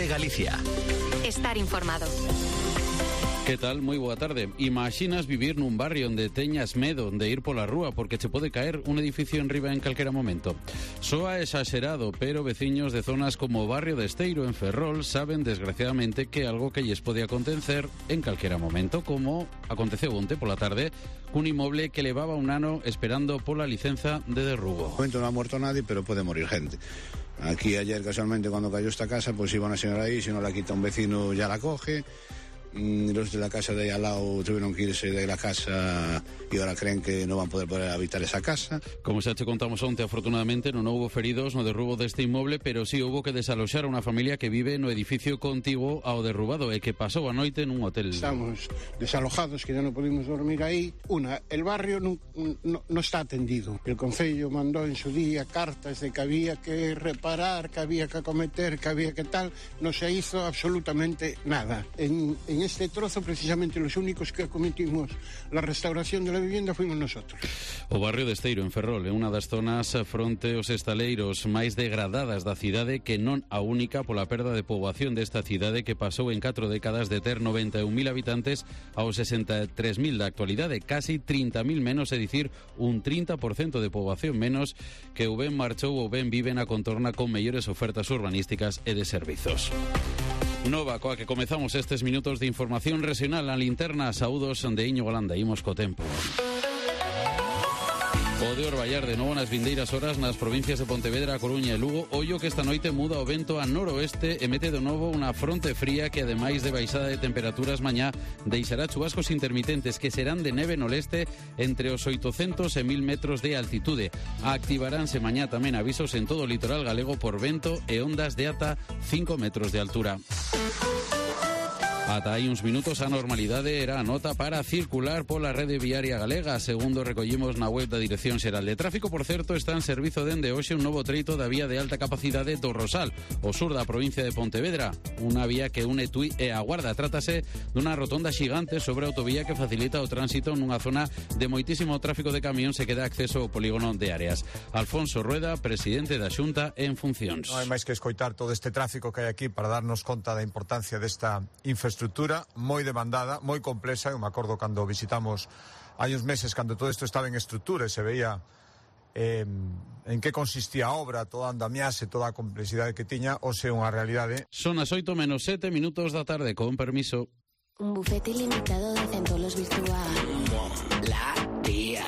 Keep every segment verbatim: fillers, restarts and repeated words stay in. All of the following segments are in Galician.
COPE Galicia. Estar informado. Que tal? Moi boa tarde. Imaxinas vivir nun barrio onde teñas medo de ir pola rúa porque che pode caer un edificio enriba en calquera momento? Soa exagerado, pero veciños de zonas como o barrio de Esteiro en Ferrol saben desgraciadamente que algo que lles pode acontecer en calquera momento, como aconteceu onte pola tarde cun inmoble que levaba un ano esperando pola licenza de derrubo. De momento non ha muerto nadie, pero pode morir gente. Aquí ayer casualmente cuando cayó esta casa, pues iba una señora ahí, si no la quita un vecino ya la coge. Los de la casa de ahí al lado tuvieron que irse de la casa y ahora creen que no van a poder, poder habitar esa casa. Como xa te contamos onte, afortunadamente non houbo feridos no derrubo deste inmoble, pero sí houbo que desaloxar a unha familia que vive no edificio contiguo ao derrubado e que pasou a noite nun hotel. Estamos desalojados, que ya no pudimos dormir ahí. Una, el barrio no, no, no está atendido. El concello mandó en su día cartas de que había que reparar, que había que acometer, que había que tal. No se hizo absolutamente nada. En, en En este trozo, precisamente, los únicos que acometimos la restauración de la vivienda fuimos nosotros. O barrio de Esteiro, en Ferrol, é unha das zonas fronte aos estaleiros máis degradadas da cidade, que non a única pola perda de poboación desta cidade que pasou en catro décadas de ter noventa e un mil habitantes aos sesenta e tres mil da actualidade, casi trinta mil menos, é dicir, un trinta por cento de poboación menos que ou ben marchou ou ben vive na contorna con mellores ofertas urbanísticas e de servizos. Nova, coa que comezamos estes minutos de información regional a linterna. Saúdos de Íñigo Landa, imos co tempo. O de Orballar de novo nas vindeiras horas nas provincias de Pontevedra, A Coruña e Lugo. Ollo que esta noite muda o vento a noroeste e mete de novo unha fronte fría que, ademais de baixada de temperaturas mañá, deixará chubascos intermitentes que serán de neve no leste entre os oitocentos e mil metros de altitude. Activaránse mañá tamén avisos en todo o litoral galego por vento e ondas de ata cinco metros de altura. Ata hai uns minutos a normalidade era a nota para circular pola rede viaria galega. Segundo recollimos na web da Dirección Xeral de Tráfico, por certo, está en servizo dende hoxe un novo treito da vía de alta capacidade do Rosal, o sur da provincia de Pontevedra. Unha vía que une Tui e a Guarda. Trátase dunha rotonda xigante sobre a autovía que facilita o tránsito nunha zona de moitísimo tráfico de camións e que dá acceso ao polígono de Áreas. Alfonso Rueda, presidente da Xunta en funcións. Non hai máis que escoitar todo este tráfico que hai aquí para darnos conta da importancia desta infraestructura estrutura moi demandada, moi complexa. Eu me acordo cando visitamos hai uns meses, cando todo isto estaba en estrutura e se veía eh, en que consistía a obra, toda a andamiaxe, toda a complexidade que tiña, hoxe é unha realidade. Son as oito menos sete minutos da tarde, con permiso. Un bufete ilimitado de centolos virtual. Molaría.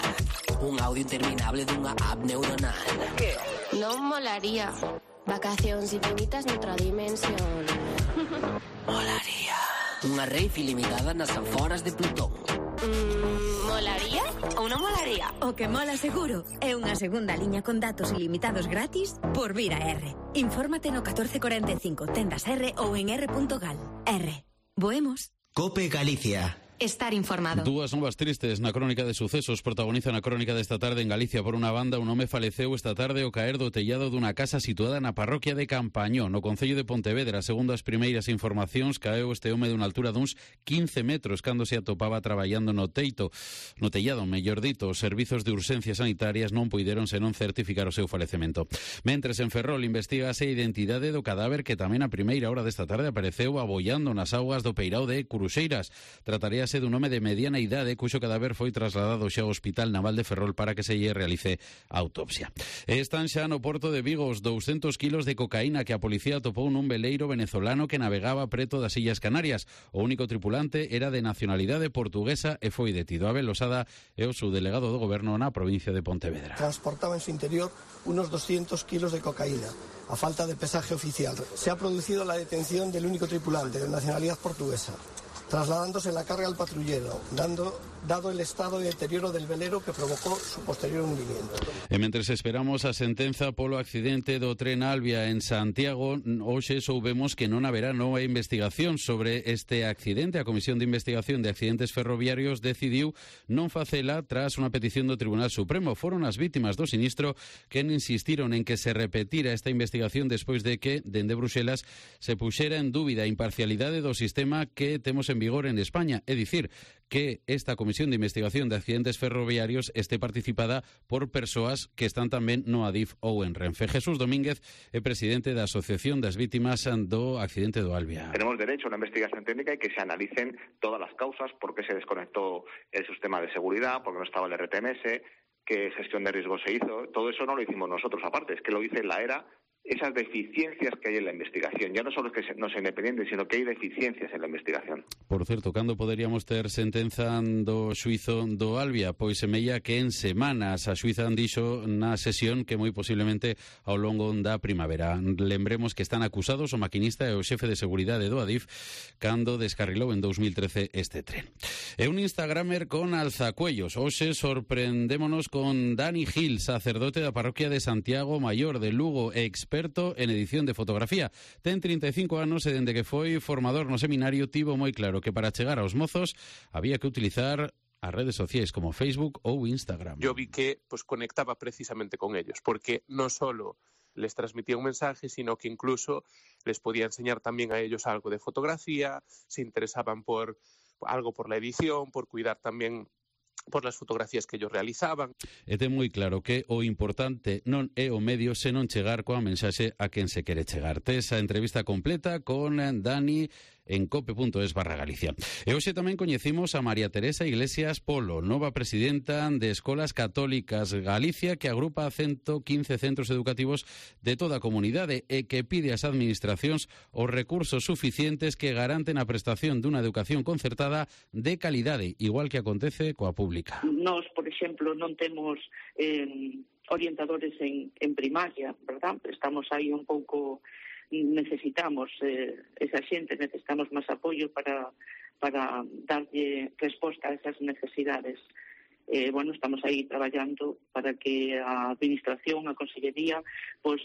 Un audio interminable dunha app neuronal. ¿Qué? Non molaría. Vacacións infinitas noutra dimensión. Molaría. Unha rave ilimitada nas aforas de Plutón. Mm, molaría ou non molaría? O que mola seguro é unha segunda liña con datos ilimitados gratis por vir a R. Infórmate no catorce cuarenta e cinco, tendas R ou en r punto gal. R. Voemos. COPE Galicia. Estar informado. Dúas novas tristes na crónica de sucesos protagonizan a crónica desta tarde en Galicia. Por unha banda, un home faleceu esta tarde ao caer do tellado dunha casa situada na parroquia de Campañón, no concello de Pontevedra. Segundo as primeiras informacións, caeu este home dunha altura duns quince metros cando se atopaba traballando no teito, no tellado, mellor dito. Os servizos de urxencias sanitarias non puideron senón certificar o seu falecemento. Mentres en Ferrol investigase a identidade do cadáver que tamén a primeira hora desta tarde apareceu abollando nas augas do peirao de Curuxeiras. Trataríase dun home de mediana idade cuxo cadáver foi trasladado xa ao Hospital Naval de Ferrol para que se lle realice a autopsia. E están xa no porto de Vigo os doscientos kilos de cocaína que a policía atopou nun veleiro venezolano que navegaba preto das Illas Canarias. O único tripulante era de nacionalidade portuguesa e foi detido. Abel Losada é o subdelegado do goberno na provincia de Pontevedra. Transportaba en su interior unos doscientos kilos de cocaína. A falta de pesaje oficial, se ha producido la detención del único tripulante de nacionalidad portuguesa, trasladándose la carga al patrullero, dando, dado el estado de deterioro del velero que provocó su posterior hundimiento. E mentres esperamos a sentenza polo accidente do tren Albia en Santiago, hoxe soubemos que non haberá nova investigación sobre este accidente. A Comisión de Investigación de Accidentes Ferroviarios decidiu non facela tras unha petición do Tribunal Supremo. Foron as vítimas do sinistro que insistiron en que se repetira esta investigación despois de que, dende Bruxelas, se puxera en dúbida a imparcialidade do sistema que temos en vigor en España, é dicir, que esta comisión de investigación de accidentes ferroviarios esté participada por persoas que están tamén no Adif ou en Renfe. Jesús Domínguez é presidente da Asociación das Vítimas do Accidente do Albia. Tenemos derecho a una investigación técnica y que se analicen todas las causas, por qué se desconectó el sistema de seguridad, por qué no estaba el R T M S, qué gestión de riesgos se hizo. Todo eso no lo hicimos nosotros aparte, es que lo dice la ERA. Esas deficiencias que hay en la investigación. Ya no solo es que no sea independiente, sino que hay deficiencias en la investigación. Por certo, cando poderíamos ter sentenza do xuizo do Albia? Pois semella que en semanas a xuiza dixo na sesión que moi posiblemente ao longo da primavera. Lembremos que están acusados o maquinista e o xefe de seguridade do Adif cando descarrilou en dos mil trece este tren. E un instagramer con alzacuellos. Hoxe sorprendémonos con Dani Gil, sacerdote da parroquia de Santiago Maior de Lugo, ex experto en edición de fotografía. Ten trinta e cinco anos e dende que foi formador no seminario tivo moi claro que para chegar aos mozos había que utilizar as redes sociais como Facebook ou Instagram. Yo vi que pues, conectaba precisamente con ellos, porque no solo les transmitía un mensaje, sino que incluso les podía enseñar también a ellos algo de fotografía, se interesaban por algo por la edición, por cuidar también por las fotografías que ellos realizaban. E ten moi claro que o importante non é o medio, senón chegar coa mensaxe a quen se quere chegar. Tes a entrevista completa con Dani en cope punto es barra Galicia. E hoxe tamén coñecimos a María Teresa Iglesias Polo, nova presidenta de Escolas Católicas Galicia, que agrupa ciento quince centros educativos de toda a comunidade e que pide ás administracións os recursos suficientes que garanten a prestación dunha educación concertada de calidade, igual que acontece coa pública. Nós, por exemplo, non temos eh, orientadores en, en primaria, verdad? Estamos aí un pouco... necesitamos eh, esa xente, necesitamos máis apoio para, para darlle resposta a esas necesidades. Eh, bueno, estamos aí traballando para que a administración, a consellería, pues,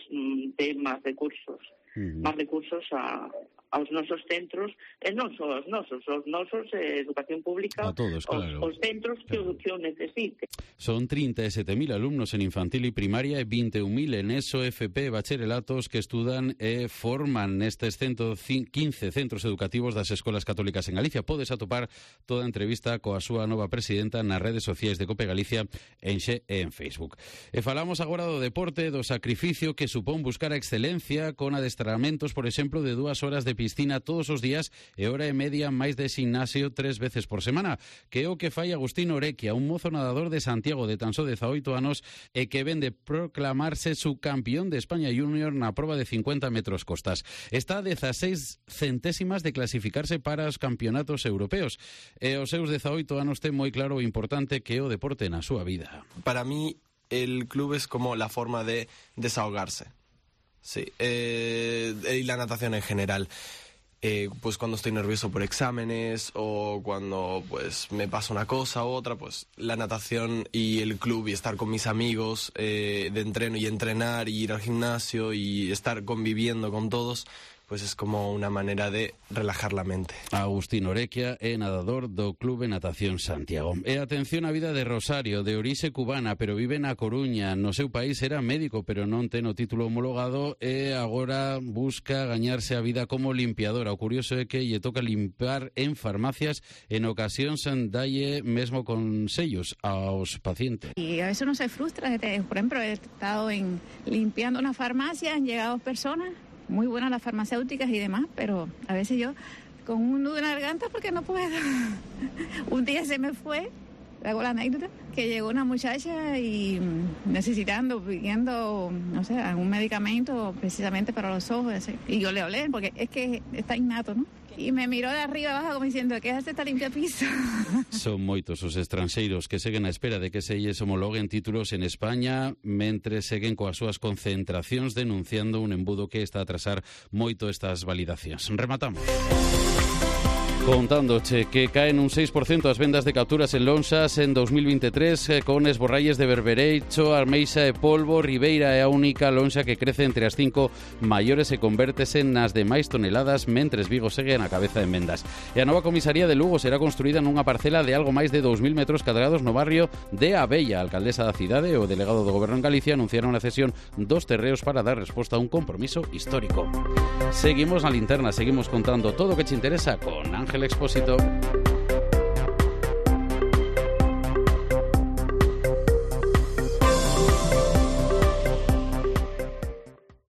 dé máis recursos, uh-huh. máis recursos a, aos nosos centros, e non só aos nosos, aos nosos eh, educación pública, a todos, claro. os, os centros que, claro. que o necesiten. Son trinta e sete mil alumnos en infantil e primaria e vinte e un mil en ESO, F P e bacharelatos que estudan e forman nestes ciento quince centros educativos das escolas católicas en Galicia. Podes atopar toda a entrevista coa súa nova presidenta nas redes sociais de Cope Galicia en Xe e en Facebook. E falamos agora do deporte, do sacrificio que supón buscar a excelencia con adestramentos, por exemplo, de dúas horas de piscina todos os días e hora e media máis de gimnasio tres veces por semana, que é o que fai Agustín Orequia, un mozo nadador de Santiago de tan só dezaoito anos e que ven de proclamarse subcampeón de España Junior na proba de cincuenta metros costas. Está a dezaseis centésimas de clasificarse para os campeonatos europeos e os seus dezaoito anos ten moi claro o importante que é o deporte na súa vida. Para mí el club es como la forma de desahogarse. Sí, eh, y la natación en general. Eh, pues cuando estoy nervioso por exámenes o cuando pues me pasa una cosa u otra, pues la natación y el club y estar con mis amigos eh, de entreno y entrenar y ir al gimnasio y estar conviviendo con todos, pues es como una manera de relajar la mente. Agustín Orequia é nadador do Clube Natación Santiago. E atención á vida de Rosario, de orixe cubana, pero vive na Coruña. No seu país era médico, pero non ten o título homologado e agora busca gañarse a vida como limpiadora. O curioso é que lle toca limpar en farmacias, en ocasións dalle mesmo consellos aos pacientes. Y a veces uno se frustra. Por ejemplo, he estado en, limpiando una farmacia, han llegado personas muy buenas las farmacéuticas y demás, pero a veces yo con un nudo en la garganta porque no puedo. Un día se me fue, hago la anécdota, que llegó una muchacha y necesitando, pidiendo, no sé, algún medicamento precisamente para los ojos, así. Y yo le hablé, porque es que está innato, ¿no? Y me miró de arriba abajo como diciendo, ¿qué hace esta limpia piso? Son moitos os estranxeiros que seguen á espera de que se lles homologuen títulos en España, mentres seguen coas súas concentracións denunciando un embudo que está a atrasar moito estas validacións. Rematamos. Contándoche que caen un seis por ciento as vendas de capturas en lonxas en dos mil veintitrés eh, con esborralles de berbereicho, armeixa e polvo. Ribeira é a única lonxa que crece entre as cinco maiores e convértese nas demais toneladas, mentres Vigo segue na cabeza en vendas. E a nova comisaría de Lugo será construída nunha parcela de algo máis de dous mil metros cadrados no barrio de Abella. A alcaldesa da cidade e o delegado do Goberno en Galicia anunciaron a cesión dos terreos para dar resposta a un compromiso histórico. Seguimos na linterna, seguimos contando todo o que te interesa con Ángel Expósito.